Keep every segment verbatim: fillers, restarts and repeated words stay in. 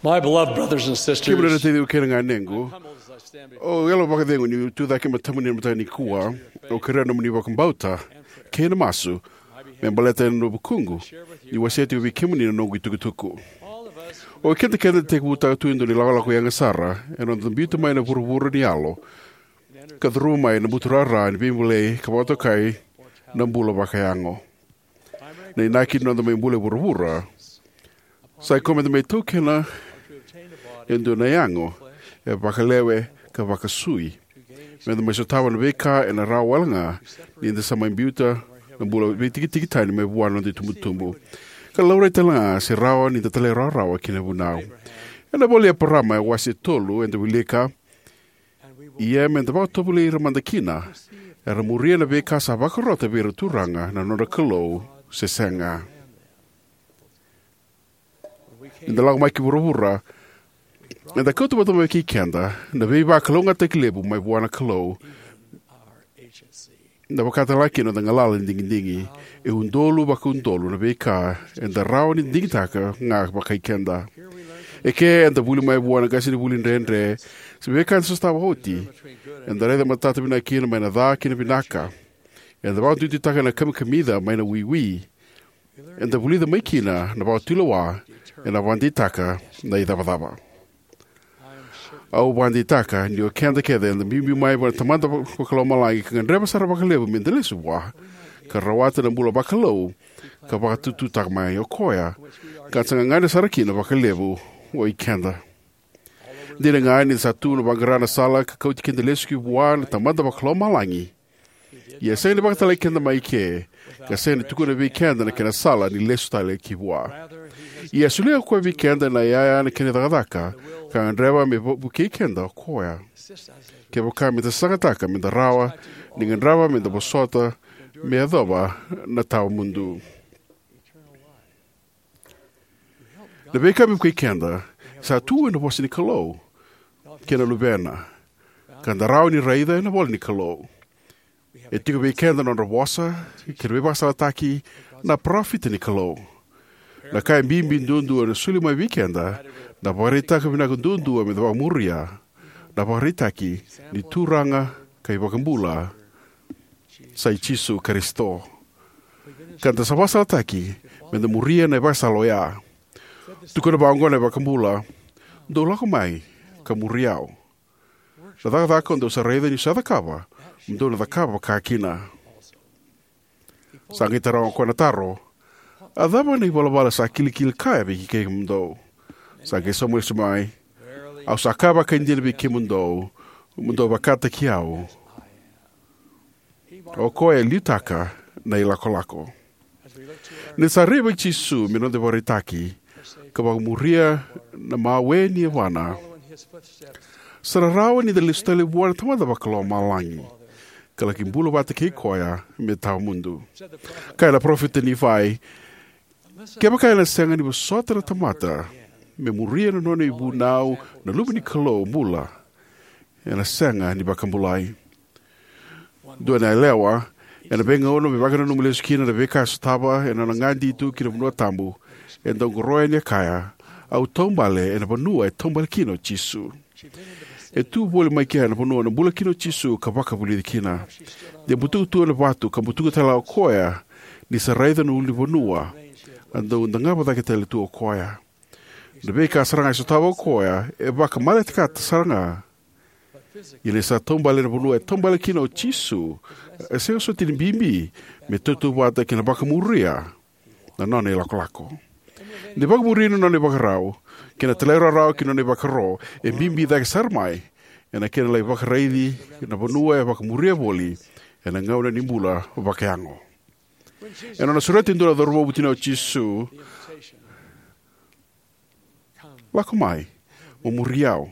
My beloved brothers and sisters, kemuni na taciqu kei na ganequ, au yalo vakacegu niu tu cake e matamuni ena mataka nikua. Au kerea na nomuni vakabauta kei na masu me baleta ena vukuqu niu wasea tiko vei kemuni na noqu itukutuku. O keda keda tekivutaka tu e dua na ilakolako yaga sara ena noda biuta mai na vuravura ni yalo ka curuma mai na buturara ni veibolei ka vakatokai na bula vakayago. Na inaki ni noda mai bula e vuravura sa ikoya meda mai taukena e dua na yago e vakalewe ka vakasui, meda mai sotava na veika ena rawa wale ga ni da sa mai biuta na bula veitikitiki tani mai vua na noda itubutubu, ka laurai tale ga se rawa ni da talairawarawa ki na vunau. Ena ivola i Eparama, e wase tolu, eda wilika: Ia meda vakatovolei ira mada kina, era muria na veika sa vakarota vei ira na Turaga na nodra Kalou, se sega. Ni da lako mai ki vuravura, eda kauta vata mai kei keda na veivakalougatataki levu mai vua na Kalou, na vaka tale ga kina noda galala ni digidigi, e udolu vakaudolu na veika eda rawa ni digitaka ga vakai keda. Eke eda vuli mai vua na qasenivuli dredre, se veika eda sotava oti. Eda raica matata vinaka kina mai na ca ki na vinaka. Eda vakaduiduitaka na kamikamica mai na wiwi. Eda vulica mai kina na vakatulewa ena vakadeitaka na icavacava. Au vakadeitaka ni o keda kece eda biubiu mai vua na Tamada Vakalomalagi ka gadreva sara vakalevu meda lesu vua ka rawata na bula vakalou ka vakatututaka mai o koya, ka da sa gagadre sara kina vakalevu o ikeda. Dina ga ni da sa tu na vaqara na sala ka kauti keda lesu ki vua na Tamada Vakalomalagi, ia e sega ni vakatalai keda mai ke, ka sega ni tukuna vei keda na kena sala ni lesu tale ki vua. Ia e solia o koya vei keda na iyaya, na kena cakacaka, ka gadreva me vo-, vukei keda o koya kevaka meda sagataka meda rawa ni gadreva meda vosota me yacova na tawamudu. Na veika me vukei keda sa tu ena vosa ni Kalou kei na Luvena, ka da rawa ni raica ena ivola ni Kalou. E tiko vei keda na nodra vosa kei na veivakasalataki na parofita ni Kalou. Na ka e bibi duadua ena soli mai vei keda na vakaraitaka vinaka duadua meda vakamuria, na vakaraitaki ni Turaga ka iVakabula sa i Jisu Karisito, ka da sa vakasalataki meda muria na ivakasala oya. Tukuna vaqo na iVakabula: Dou lako mai ka muri au. Na cakacaka o dou sa raica niu sa cakava, mo dou na cakava vaka kina. Sa qai taroga o koya na taro: A cava na ivalavala sa kilikili kaya vei kemudou? Sa qai sauma lesu mai: Au sa kaya vakaidina vei kemudou, mo dou vakataki au. O koya e liutaka na ilakolako. Ni sa rai vei Jisu me noda ivakaraitaki ka vakamuria na mawe ni yavana, sa na rawa ni da lesu tale vua na Tamada Vakalomalagi ka laki bula vata kei koya me tawamudu. Kaya na parofita o Nifai: Kevaka ena sega ni vosota na tamata me muria na nona ivunau na Luve ni Kalou bula, ena sega ni vakabulai. Dua na yalewa ena veigauna me vakananuma lesu kina na veika e sotava ena nona gadi tu ki na vanua tabu, e dau qoroya ni a kaya: Au taubale ena vanua e taubale kina o Jisu. E tu voli mai kea na vanua e bula kina o Jisu ka vakavulici kina. De butuka tu ena vatu ka butuka tale ga o koya ni sa raica na ulunivanua, a dau dagava cake tale tu o koya. Na veika sara ga e sotava o koya e vakamaletekata sara ga. Ia ni sa taubale ena vanua e taubale kina o Jisu, e sega soti ni bibi me tautauvata kei na vakamuria na nona ilakolako. Ni vakamuria na nona ivakarau kei na talairawarawa ki na nona ivakaro, e bibi cake sara mai ena kena lai vakaraici na vanua e vakamuria voli ena gauna ni bula vakayago. Ena nona sureta e dua na cauravou vutuniyau o Jisu: Lako mai, mo muri au.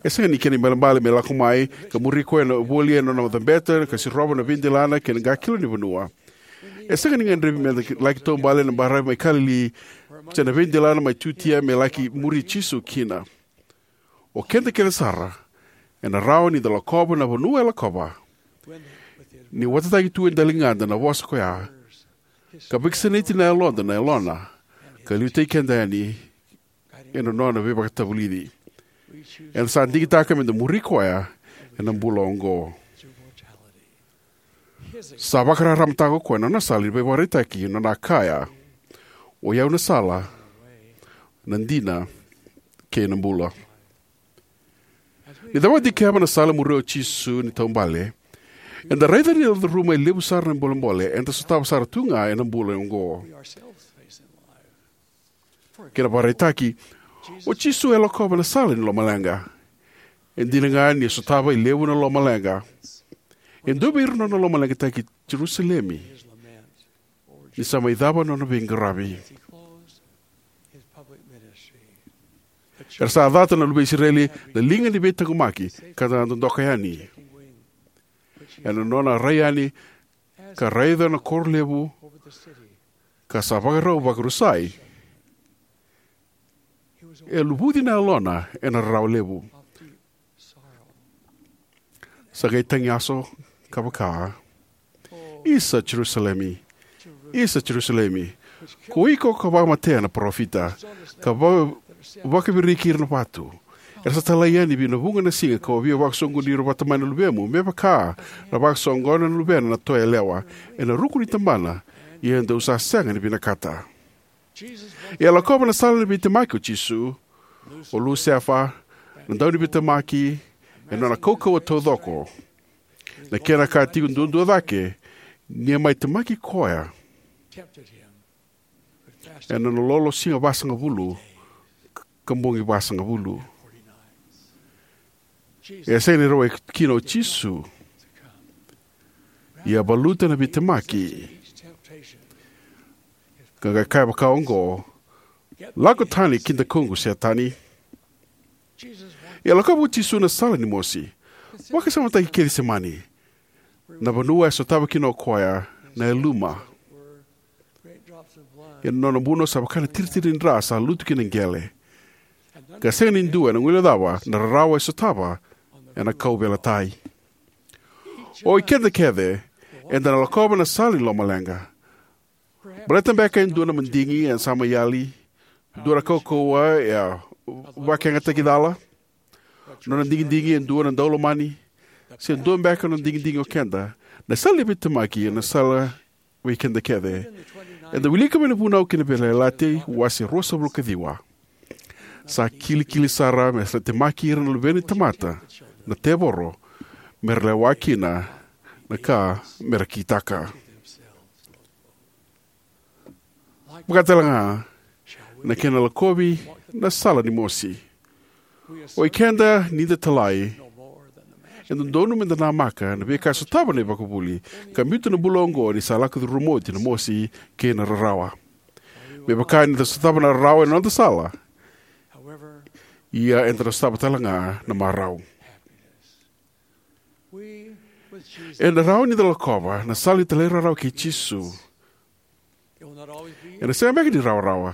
E sega ni kena ibalebale me lako mai ka muri koya ena voli ena nona cabeta ka sirova na veidelana kei na qakilo ni vanua. E sega ni gadrevi meda laki taubale ena baravi mai Kalili se na veidelana mai Jutia me laki muri Jisu kina. O keda kece sara ena rawa ni da lakova na vanua e lakova ni watataki tu e daligada na vosa koya, ka vakasinaiti na yaloda na yalona, ka liutaki keda yani ena nona veivakatavulici. Eda sa digitaka me da muri koya ena bula oqo. Sa vakararamataka o koya na nona sala ni veivakaraitaki, na nona kaya, "O i au na sala, na dina, kei na bula." Ni da vakadikeva na sala e muria o Jisu ni taubale, eda raica ni curuma e levu sara na bolebole eda sotava sara tu ga ena bula oqo. Kena vakaraitaki, o Jisu e lakova na sala ni lomaleqa. E dina ga ni sotava e levu na lomaleqa, e dua vei ira na nona lomaleqataki Jerusalemi ni sa mai cava na nona veiqaravi. Era sa cata na luve i Isireli na liga ni veitaqomaki ka da dodoka yani. Ena nona rai yani ka raica na koro levu ka sa vakarau vakarusai, e luvuci na yalona ena rarawa levu. Sa qai tagiyaso ka vaka, "Isa Jerusalemi, isa Jerusalemi, ko iko ka vakamatea na parofita, ka va- vakaviriki ira na vatu. Era sa talai yani vei na vuqa na siga ka via vakasoqoni ira vata mai na luvemu, me vaka na vakasoqona na luvena na toa yalewa ena ruku ni tabana, ia dou sa sega ni vinakata." E a lakova na sala ni veitemaki o Jisu, o Lusefa, na dauniveitemaki, ena nona kaukauwa taucoko. Na kena ka tiko duadua cake, ni a mai temaki koya ena nona lolo siga vasagavulu ka bogi vasagavulu. E a sega ni rawai kina o Jisu, ia a valuta na veitemaki ka qai kaya vaka oqo, "Lako tani ki dakuqu, Setani." E a lakova o Jisu na sala ni mosi. Vakasamataki Kecisemani, na vanua e sotava kina o koya na yaluma. Ia na nona buno sa vaka na tiritiri ni dra sa lutu ki na qele, ka sega ni dua ena guilecava na rarawa e sotava ena kauveilatai. O i keda kece eda na lakova na sala ni lomaleqa. Baleta beka e dua na madigi e sa mai yali, dua na kaukauwa e a vakayagataki cala, nona digidigi e dua na daulomani, se dua beka na digidigi o keda. Na sala ni veitemaki ena sala vei keda kece. Eda wilika mai na Vunau kei na Veiyalayalati wase ruasagavulu ka ciwa. Sa kilikili sara me sa temaki ira na luve ni tamata na tevoro, me ra lewa kina na ka me ra kitaka. Vaka tale ga na kena lakovi na sala ni mosi. O i keda ni da talai, e dodonu me da namaka na veika e sotava na ivakavuvuli, ka biuta na bula oqo ni sa lako curuma oti na mosi kei na rarawa. Me vaka ni da sotava na rarawa ena noda sala, ia eda na sotava tale ga na marau. Ena rawa ni da lakova na sala ni talairawarawa kei Jisu. Ena sega beka ni rawarawa,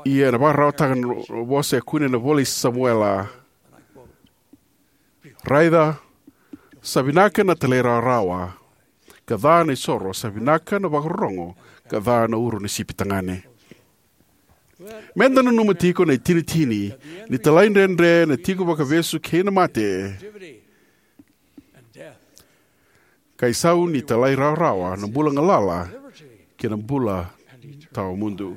ia ena vakararawataka na vosa e kune ena ivola i Samuela: "Raica, sa vinaka na talairawarawa, ka ca na isoro, sa vinaka na vakarorogo, ka ca na uro ni sipi tagane." Me da nanuma tiko na itinitini ni talaidredre na tiko vakavesu kei na mate, ka isau ni talairawarawa na bula galala kei na bula tawamudu.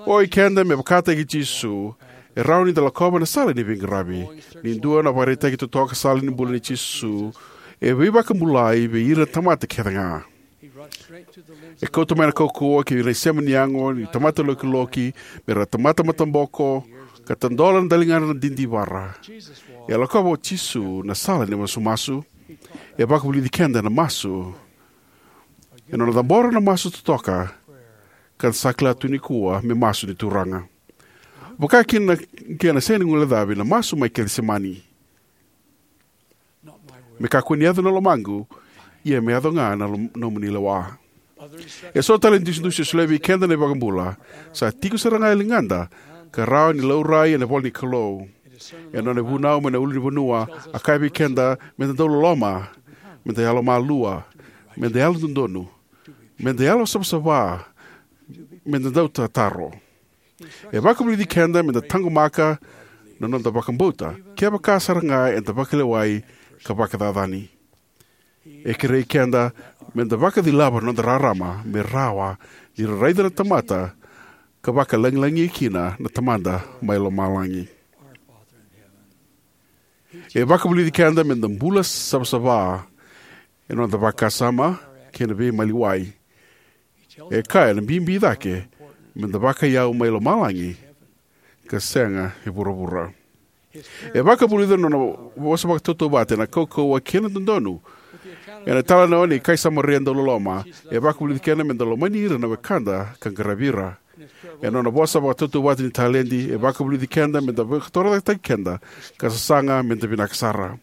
O i keda, me vakataki Jisu, e rawa ni da lakova na sala ni veiqaravi. Ni dua na vakaraitaki totoka sala ni bula nei Jisu, e veivakabulai vei ira na tamata kece ga. E kauta mai na kaukauwa ki na isema ni yago ni tamata lokiloki, me ra tamata mataboko, ka tadola na daligadra na didivara. E a lakova o Jisu na sala ni masumasu. E vakavulici keda na masu. E nona cabora na masu totoka, ka sa kila tu nikua me masu ni Turaga. Vaka kina na kena sega ni guilecavi na masu mai Kecisemani: "Me kakua ni yaco na lomaqu, ia me yaco ga na lom- nomuni lewa." E so tale na idusidusi e solia vei keda na iVakabula sa tiko sara ga e ligada, ka rawa ni laurai ena ivola ni Kalou. Ena nona ivunau mai na ulunivanua, a kaya vei keda me da dau loloma, me da yalomalua, me da yalododonu, me da yalosavasava, me da dau tataro. E vakavulici keda me da taqomaka na noda vakabauta, kevaka sara ga eda vakalewai ka vakacacani. E kerei keda me da vakacilava na noda rarama me rawa ni ra raica na tamata ka vakalagilagi kina na Tamada mai lomalagi. E vakavulici keda me da bula savasava ena noda vakasama kei na veimaliwai. E kaya na bibi cake me da vakaiyau mai lomalagi ka sega e vuravura. E vakavulica na nona vosa vakatautauvata ena kaukauwa kei na dodonu ena italanoa ni kai Samaria dauloloma. E vakavulici keda me da lomani ira na wekada ka qaravi ira. Ena nona vosa vakatautauvata ni taledi, e vakavulici keda me da vakatorocaketaki keda ka sasaga me da vinaka sara.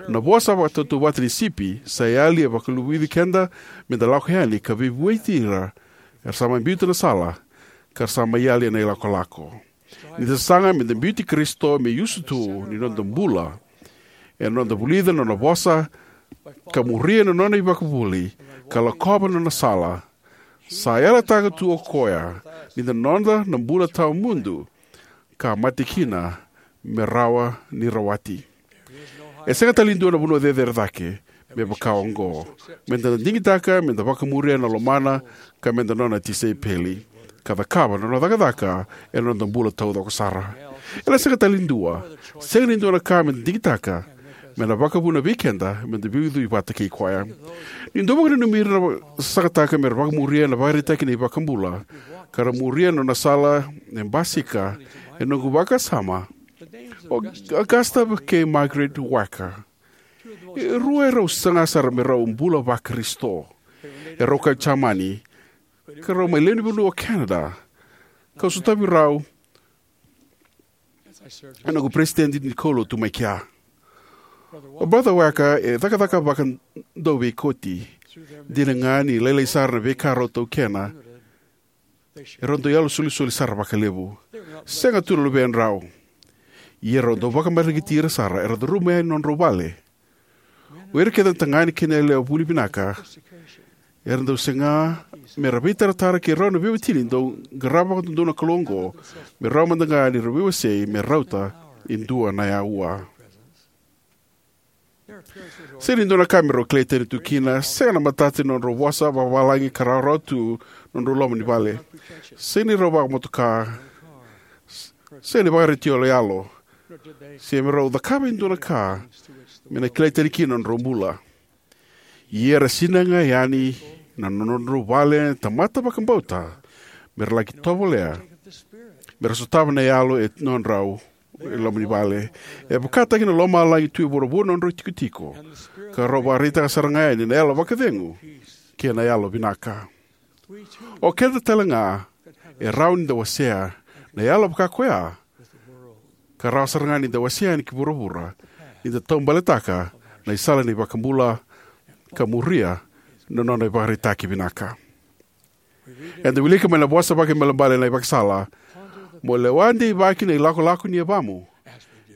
Na vosa vakatautauvata ni sipi sa yali e vakavulici keda me da lako yani ka veivueti ira era sa mai biuta na sala ka ra sa mai yali ena ilakolako. Ni da sasaga me da biuti Karisito me iusutu ni noda bula ena noda vulica na nona vosa ka muria na nona ivakavuvuli ka lakova na nona sala, sa yalataka tu o koya ni na noda na bula tawamudu ka mate kina me rawa ni rawati. E sega tale ni dua na vanua cecere cake me vaka oqo, me da na digitaka me da vakamuria na lomana ka me da nona tisaipeli ka cakava na nona cakacaka ena noda bula taucoko sara. Ena sega tale ni dua, sega ni dua na ka me da digitaka me na vakavuna vei keda me da veiucui vata kei koya. Ni dau vakananumi ira na sasagataka me ra vakamuria na vakaraitaki ni iVakabula ka ra muria na nona sala e basika ena noqu vakasama o Augusta kei Margaret Wacker. E rua e rau saga sara me rau bula vaKarisito. E rau kai Jamani ka rau mai lewe ni vanua o Canada. Kau sotavi rau ena noqu peresitedi ni kaulotu mai kea. O Brother Wacker e cakacaka vakadauveikoti. Dina ga ni lailai sara na veika rau taukena, e rau dau yalo solisoli sara vakalevu. Sega tu na luvedrau, ia rau dau vakamareqeti ira sara era curuma yani na nodrau vale. O ira kece na tagane kei na yalewa vuli vinaka era dau saga me ra veitaratara kei rau na veiwatini dau qarava vakadodonu na Kalou oqo, me rawa mada ga ni ra veiwasei me rauta e dua na aua. Sega ni dua na ka me rau kilai tani tu kina, sega na matata ni nodrau vosa vakavalagi ka rawarawa tu na nodrau loma ni vale. Sega ni rau vakamotoka, sega ni vakaretio yaloyalo, se me rau cakava e dua na ka me na kilai tani kina na nodrau bula. Ia era sinai ga yani na nodrau vale na tamata vakabauta me ra laki tovolea me ra sotava na yalo e nodrau e loma ni vale. E vakataki na lomalagi tu e vuravura na nodrau itikotiko ka rau vakaraitaka sara ga yani na yalo vakacegu kei na yalo vinaka. O keda tale ga e rawa ni da wasea na yalo vaka koya ka rawa sara ga ni da wasea yani ki vuravura ni da taubaletaka na isala ni iVakabula ka muria na nona ivakaraitaki vinaka. Eda wilika mai na vosa vakaibalebale na ivakasala: Mo lewa deivaki na ilakolako ni yavamu.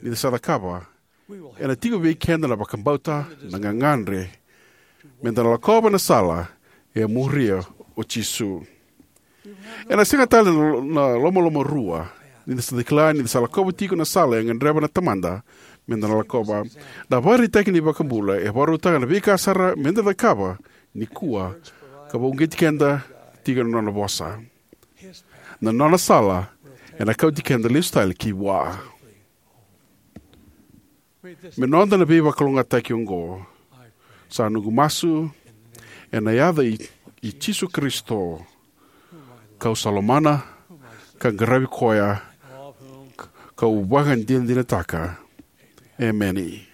Ni da sa cakava, ena tiko vei keda na vakabauta, na gagadre me da na lakova na sala e a muria o Jisu. Ena sega tale na, na lomalomarua ni da sa kila ni da sa lakova tiko na sala e gadreva na Tamada me da na lakova. Na ivakaraitaki ni iVakabula e vakarautaka na veika sara me da cakava nikua ka vakauqeti keda tiko na nona vosa. Na nona sala ena kauti keda lesu tale ki vua. Me noda na veivakalougatataki oqo sa noqu masu ena yaca i, i Jisu Karisito, kau sa lomana ka qaravi koya, kau vakadinadinataka. Emeni.